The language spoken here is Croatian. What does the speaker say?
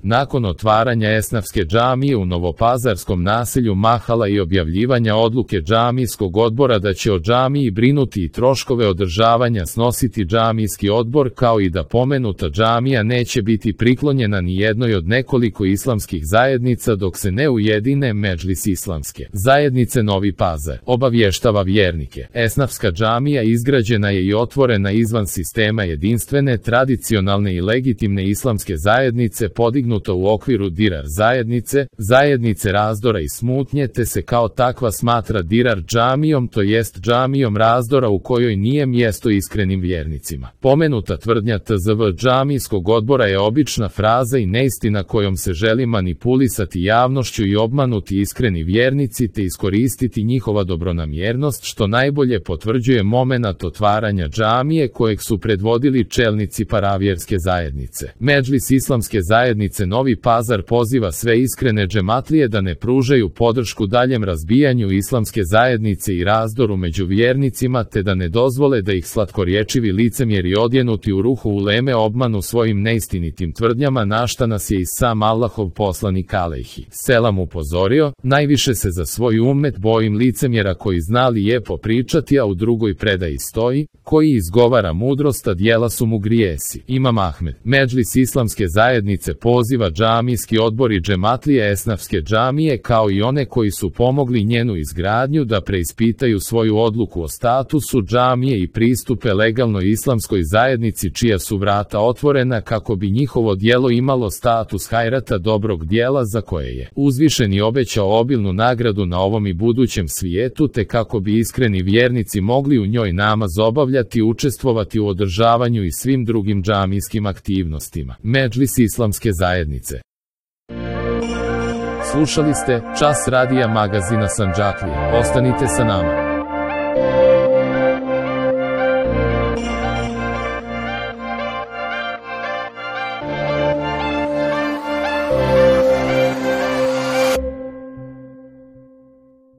Nakon otvaranja Esnafske džamije u novopazarskom naselju Mahala i objavljivanja odluke džamijskog odbora da će o džamiji brinuti i troškove održavanja snositi džamijski odbor, kao i da pomenuta džamija neće biti priklonjena ni jednoj od nekoliko islamskih zajednica dok se ne ujedine Medžlis Islamske zajednice Novi Pazar, obavještava vjernike. Esnafska džamija izgrađena je i otvorena izvan sistema jedinstvene, tradicionalne i legitimne islamske zajednice, podignuta u okviru Dirar zajednice, zajednice razdora i smutnje, te se kao takva smatra Dirar džamijom, to jest džamijom razdora u kojoj nije mjesto iskrenim vjernicima. Pomenuta tvrdnja TZV džamijskog odbora je obična fraza i neistina kojom se želi manipulisati javnošću i obmanuti iskreni vjernici te iskoristiti njihova dobronamjernost, što najbolje potvrđuje momenat otvaranja džamije kojeg su predvodili čelnici paravjerske zajednice. Medžlis Islamske zajednice Novi Pazar poziva sve iskrene džematlije da ne pružaju podršku daljem razbijanju islamske zajednice i razdoru među vjernicima, te da ne dozvole da ih slatkorječivi licemjeri odjenuti u ruhu uleme obmanu svojim neistinitim tvrdnjama, na šta nas je i sam Allahov poslanik alejhi selam upozorio: najviše se za svoj ummet bojim licemjera koji zna lijepo pričati, a u drugoj predaji stoji: koji izgovara mudrost, a djela su mu grijesi. Imam Ahmed. Medžlis Islamske zajednice poziva džamijski odbor i džematlije Esnafske džamije, kao i one koji su pomogli njenu izgradnju, da preispitaju svoju odluku o statusu džamije i pristupe legalnoj islamskoj zajednici čija su vrata otvorena, kako bi njihovo djelo imalo status hajrata, dobrog djela za koje je uzvišeni obećao obilnu nagradu na ovom i budućem svijetu, te kako bi iskreni vjernici mogli u njoj namaz obavljati, učestvovati u održavanju i svim drugim džamijskim aktivnostima. Medžlis Islamske zajednice. Slušali ste Čas radija magazina Sandžaklija. Ostanite sa nama.